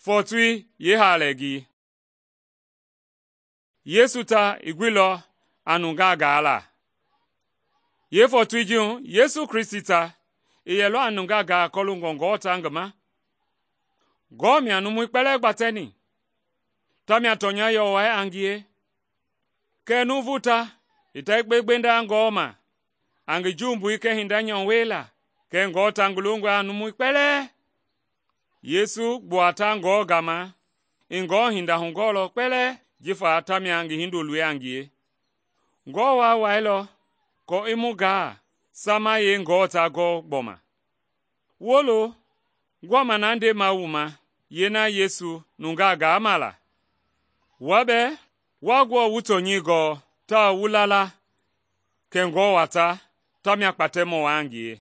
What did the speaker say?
Fɔɔtoi yeehaalɛngii. Yesu ta i guilɔ a nungaa gaala. Yeefɔɔtoi ji hu Yesu Kristi ta i yɛlɔ a nungaa gaa kɔloongɔ Ngewɔ ta ngi ma. Ngewɔ mia numui kpɛlɛɛ gbatɛni, tamia tɔnya yɔwɔi a ngie. Kɛɛ nuuvu ta i ta yekpe gbenda Ngewɔ ma a ngi jumbui kɛɛ hinda nyɔu wiela, kɛɛ Ngewɔ ta ngi longɔe a numui kpɛlɛɛ. Yesu gbua ta Ngewɔ gama i Ngewɔ hinda hugɔɔlɔ kpɛlɛɛ jifa tamia ngi Hindoloi a ngie. Ngewɔ Waa wailɔ kɔ i mu gaa samayei Ngewɔ ta gɔɔ gbɔma. Wolo, gbɔma na ndema wu ma yeena Yesu nungaa gaama la. Wua bɛɛ wa Ngewɔ wu tɔnyɛi gɔɔ tawao wu la la kɛ Ngewɔ wa ta tamia kpatɛmɔ waa a ngie.